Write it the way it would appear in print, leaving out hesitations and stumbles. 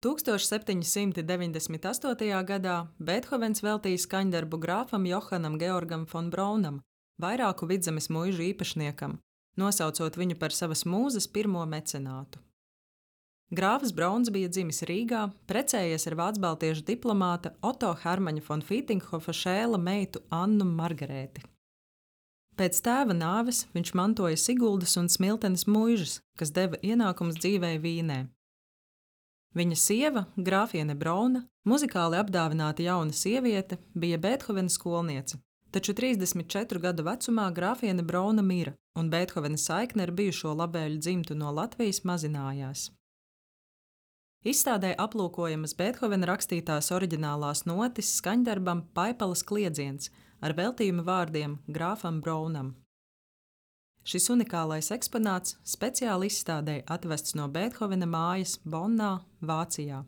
1798. gadā Beethovens veltīja skaņdarbu grāfam Johanam Georgam fon Braunam, vairāku Vidzemes muižu īpašniekam, nosaucot viņu par savas mūzes pirmo mecenātu. Grāfs Brauns bija dzimis Rīgā, precējies ar vācbaltiešu diplomāta Oto Hermaņa fon Fītinghofa šēla meitu Annu Margarēti. Pēc tēva nāves viņš mantoja Siguldas un Smiltenes muižas, kas deva ienākumus dzīvei Vīnē. Viņa sieva, grāfiene Brauna, muzikāli apdāvināta jauna sieviete, bija Beethovena skolniece, taču 34 gadu vecumā grāfiene Brauna mira, un Beethovena saikne ar bijušo labēļu dzimtu no Latvijas mazinājās. Izstādē aplūkojamas Beethovena rakstītās oriģinālās notis skaņdarbam Paipalas kliedziens ar veltījuma vārdiem grāfam Braunam. Šis unikālais eksponāts speciāli izstādē atvests no Beethovena mājas Bonnā, Vācijā.